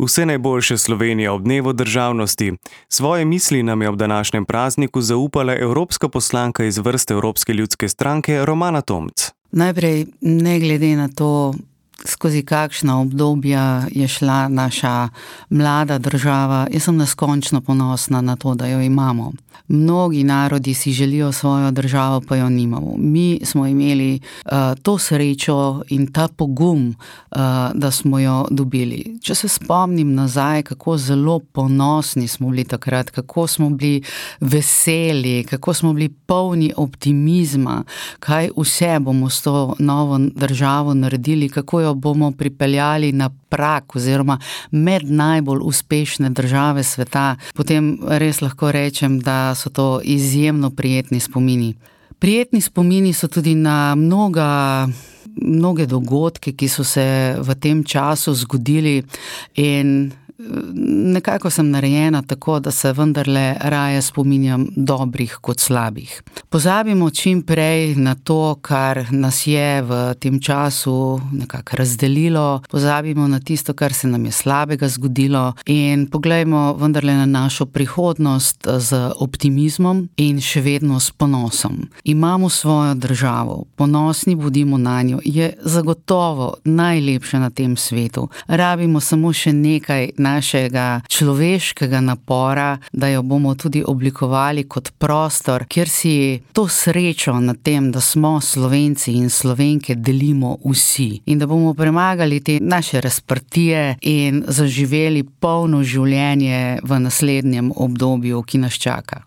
Vse najboljše Slovenija ob dnevu državnosti. Svoje misli nam je ob današnjem prazniku zaupala evropska poslanka iz vrst Evropske ljudske stranke Romana Tomc. Najprej, ne glede na to, skozi kakšna obdobja je šla naša mlada država, jaz sem neskončno ponosna na to, da jo imamo. Mnogi narodi si želijo svojo državo, pa jo nimamo. Mi smo imeli to srečo in ta pogum, da smo jo dobili. Če se spomnim nazaj, kako zelo ponosni smo bili takrat, kako smo bili veseli, kako smo bili polni optimizma, kaj vse bomo s to novo državo naredili, kako jo bomo pripeljali na prak oziroma med najbolj uspešne države sveta, potem res lahko rečem, da so to izjemno prijetni spomini. Prijetni spomini so tudi na mnoge dogodke, ki so se v tem času zgodili, in nekako sem narejena tako, da se vendarle raje spominjam dobrih kot slabih. Pozabimo čim prej na to, kar nas je v tem času nekako razdelilo, pozabimo na tisto, kar se nam je slabega zgodilo, in poglejmo vendarle na našo prihodnost z optimizmom in še vedno s ponosom. Imamo svojo državo, ponosni bodimo na njo, je zagotovo najlepša na tem svetu. Rabimo samo še nekaj našega človeškega napora, da jo bomo tudi oblikovali kot prostor, kjer si to srečo nad tem, da smo Slovenci in Slovenke, delimo vsi. In da bomo premagali te naše razprtije in zaživeli polno življenje v naslednjem obdobju, ki nas čaka.